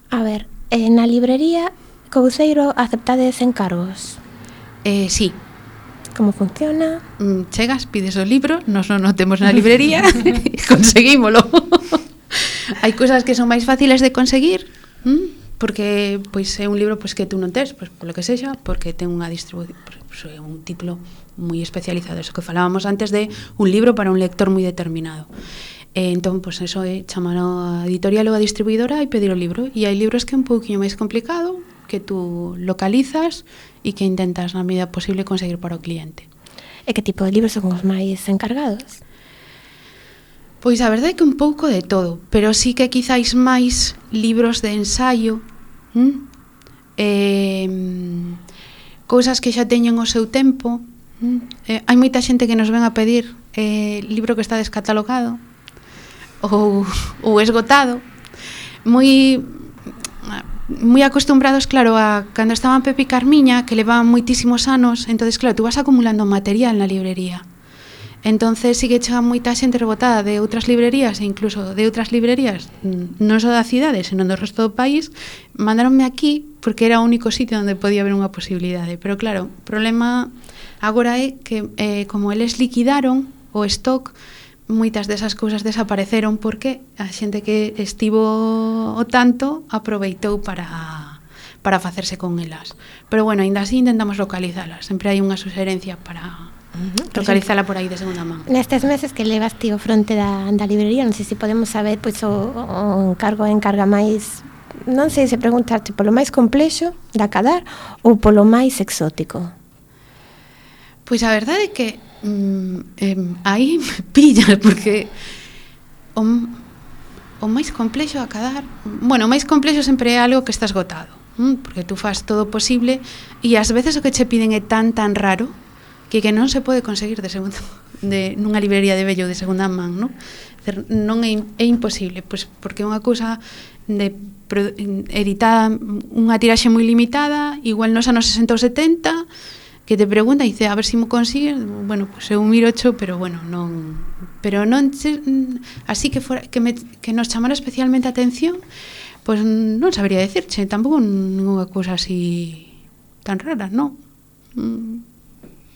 A ver, eh, na librería Couceiro aceptades encargos. Eh, sí. Como funciona? Mm, chegas, pides o libro, nos non o temos na librería, e conseguímolo. Hai cousas que son máis fáciles de conseguir, ¿m? Porque pois é un libro pois que tú non tes, pois polo que sexa, porque ten unha distribución, pois, é un título moi especializado, eso que falábamos antes de un libro para un lector moi determinado. E entón, pois eso é chamar a editorial ou a distribuidora e pedir o libro. E hai libros que é un pouquinho máis complicado, que tú localizas e que intentas na medida posible conseguir para o cliente. E que tipo de libros son os máis encargados? Pois a verdade é que un pouco de todo, pero sí que quizáis máis libros de ensaio, ¿m? eh, cousas que xa teñen o seu tempo. ¿m? Eh, hai moita xente que nos ven a pedir eh, libro que está descatalogado ou, ou esgotado, moi moi acostumbrados, claro, a cando estaban Pepe e Carmiña, que levaban moitísimos anos, entonces claro, tú vas acumulando material na librería. Entonces sí que chega moita xente rebotada de outras librerías e incluso de outras librerías non só da cidade, senón do resto do país, mandaronme aquí porque era o único sitio onde podía haber unha posibilidade. Pero claro, o problema agora é que eh, como eles liquidaron o stock, moitas desas cousas desapareceron porque a xente que estivo o tanto aproveitou para para facerse con elas. Pero bueno, ainda así intentamos localizalas. Sempre hai unha suxerencia para Uh-huh. localizala por aí de segunda man. Nestes meses que levas ti o fronte da, da librería, non sei se podemos saber pois, o, o encargo encarga máis, non sei se preguntarte polo máis complexo de acadar ou polo máis exótico. Pois a verdade é que mm, eh, aí me pillas porque o, o máis complexo a acadar, bueno, o máis complexo sempre é algo que está esgotado, ¿m? Porque tú fas todo o posible e ás veces o que che piden é tan tan raro que que non se pode conseguir de segunda de nunha librería de vello de segunda man, non? Non é, é imposible, pois porque é unha cousa de pro, editada unha tiraxe moi limitada, igual nos anos sesenta ou setenta, que te pregunta e dice, a ver se si mo consigues, bueno, pois eu miro ocho, pero bueno, non, pero non así que fora que me que nos chamara especialmente a atención, pois non sabería decirche, tampouco ninguna cousa así tan rara, non.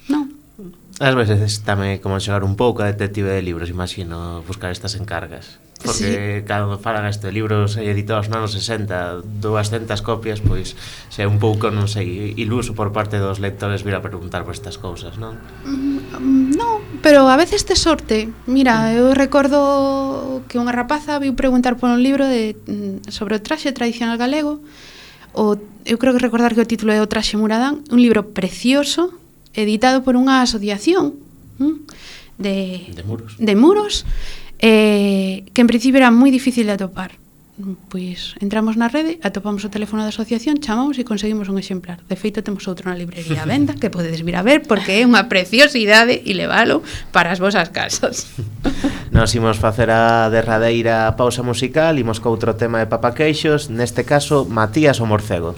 Non. Ás veces tamén como xogar un pouco a detective de libros, imagino, buscar estas encargas. Porque sí, cando falan este libros editados nos anos sesenta, doscientas copias, pois se un pouco, non sei, iluso por parte dos lectores vir a preguntar por estas cousas, non? Mm, non, pero a veces te sorte. Mira, eu recordo que unha rapaza viu preguntar por un libro de sobre o traxe tradicional galego. o, eu creo que recordar que o título é O traxe muradán, un libro precioso, editado por unha asociación ¿m? de, de muros, de muros eh, que en principio era moi difícil de atopar. Pois entramos na rede, atopamos o teléfono da asociación, chamamos e conseguimos un exemplar. De feito, temos outro na librería a venda que podedes vir a ver porque é unha preciosidade e levalo para as vosas casas. Nos imos facer a derradeira pausa musical, imos co outro tema de Papaqueixos, neste caso Matías o Morcego.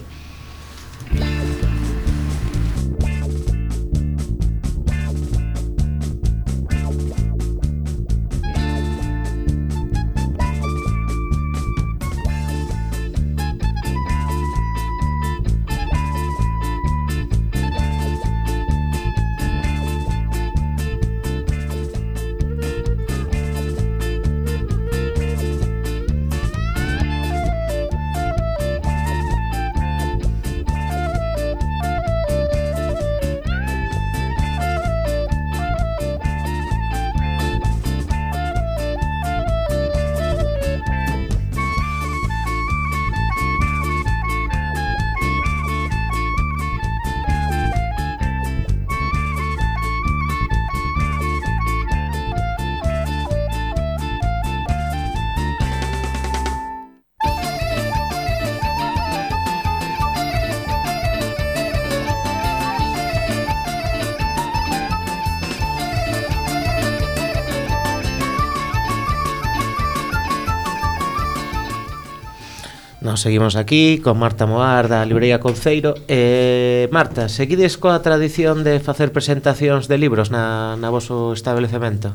Nos seguimos aquí con Marta Moar da Librería Conceiro. eh, Marta, seguides coa tradición de facer presentacións de libros na, na voso establecemento?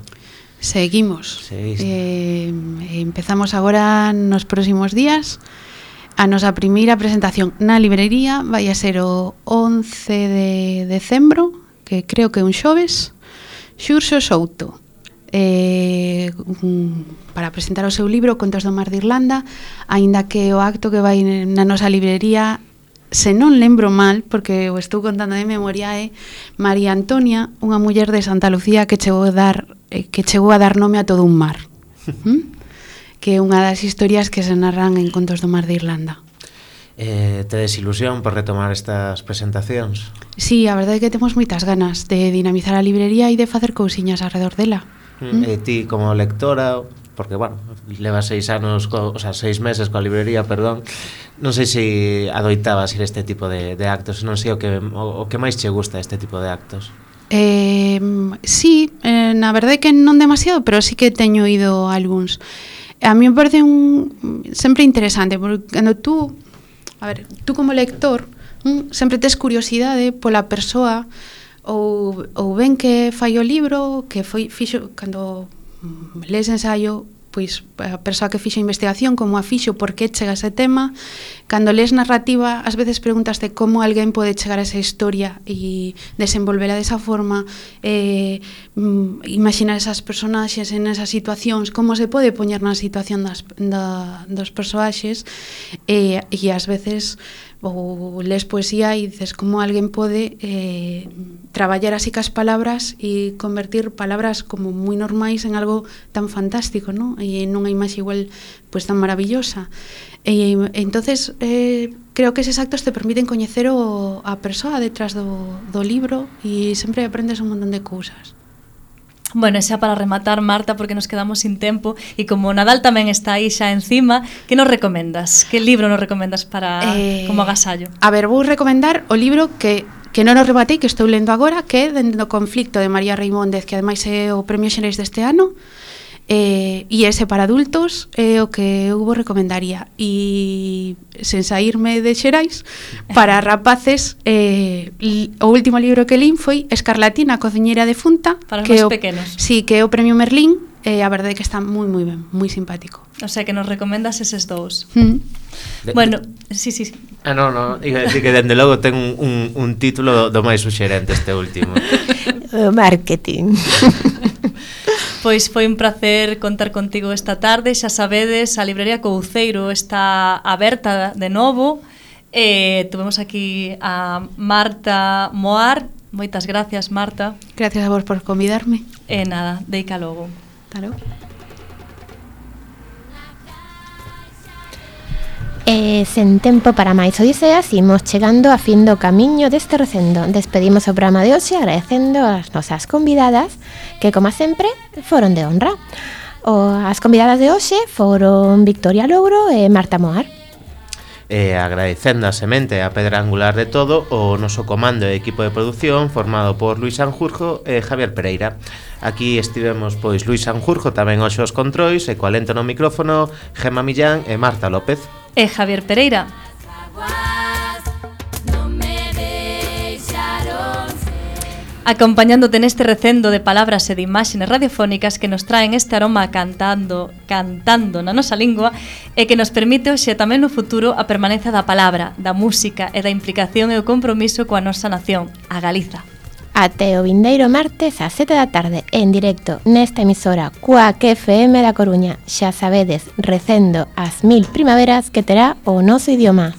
Seguimos. Seguís. Eh, empezamos agora nos próximos días. A nosa primeira presentación na librería vai a ser o once de decembro, que creo que é un xoves, Xurxo Souto. Eh, para presentar o seu libro Contos do Mar de Irlanda, aínda que o acto que vai na nosa librería, se non lembro mal, porque o estou contando de memoria, é María Antonia, unha muller de Santa Lucía que chegou a dar, eh, que chegou a dar nome a todo un mar. ¿Mm? Que é unha das historias que se narran en Contos do Mar de Irlanda. Eh, tedes ilusión por retomar estas presentacións? Sí, a verdade é que temos moitas ganas de dinamizar a librería e de facer cousiñas alrededor dela. Mm. E ti como lectora, porque, bueno, levas seis anos, co, o sea, seis meses coa librería, perdón, non sei se adoitabas ir este tipo de, de actos, non sei o que, o, o que máis che gusta este tipo de actos. Eh, sí, eh, na verdade que non demasiado, pero sí que teño ido a algúns. A mí me parece un sempre interesante, porque cando tú, a ver, tú como lector, mm, sempre tes curiosidade pola persoa ou, ou ben que fai o libro, que foi fixo cando lees ensaio, pois a persoa que fixo a investigación, como a fixo, por que chega a ese tema. Cando lees narrativa, ás veces preguntaste como alguén pode chegar a esa historia e desenvolvela desa forma, eh, imaginar esas personaxes en esas situacións, como se pode poñer na situación das, da, dos persoaxes, eh, e ás veces ou lees poesía e dices como alguén pode eh, traballar así cas palabras e convertir palabras como moi normais en algo tan fantástico, ¿no? E nunha imaxe igual pues tan maravillosa. E entonces eh, creo que eses actos te permiten coñecer o, a persoa detrás do, do libro e sempre aprendes un montón de cousas. Bueno, xa para rematar, Marta, porque nos quedamos sin tempo, e como Nadal tamén está aí xa encima, que nos recomendas? Que libro nos recomendas para eh, como agasallo? A ver, vou recomendar o libro que que non o rebatei, que estou lendo agora, que é Dende o conflicto, de María Reimóndez, que ademais é o premio Xerais deste ano, eh, e ese para adultos é o que eu vos recomendaría. E sen saírme de Xerais, para rapaces, eh, o último libro que lín foi Escarlatina, a cociñeira defunta, para os máis pequenos. Sí, que é o premio Merlín, e eh, a verdade é que está moi moi ben, moi simpático. O sea, que nos recomendas eses dous. Mm. De, bueno, sí, sí. Ah, no, no, iba a decir que dende logo ten un, un, un título do máis suxerente este último. Marketing. Pois foi un placer contar contigo esta tarde. Xa sabedes, a Librería Couceiro está aberta de novo. Eh, tuvemos aquí a Marta Moar. Moitas gracias, Marta. Gracias a vos por convidarme. E nada, deica logo. Claro. E sen tempo para máis odiseas, imos chegando a fin do camiño deste recendo. Despedimos o programa de hoxe agradecendo as nosas convidadas, que, como sempre, foron de honra. O, as convidadas de hoxe foron Victoria Louro e Marta Moar. E agradecendo a semente a pedra angular de todo o noso comando e equipo de produción formado por Luis Sanjurjo e Javier Pereira. Aquí estivemos pois Luis Sanjurjo tamén hoxe os controis e coa lento no micrófono Gemma Millán e Marta López. E Javier Pereira. Acompañándote neste recendo de palabras e de imaxes radiofónicas que nos traen este aroma cantando, cantando na nosa lingua e que nos permite hoxe tamén no futuro a permanencia da palabra, da música e da implicación e o compromiso coa nosa nación, a Galiza. Até o vindeiro martes ás sete da tarde en directo nesta emisora Cuac F M da Coruña. Xa sabedes, recendo as mil primaveras que terá o noso idioma.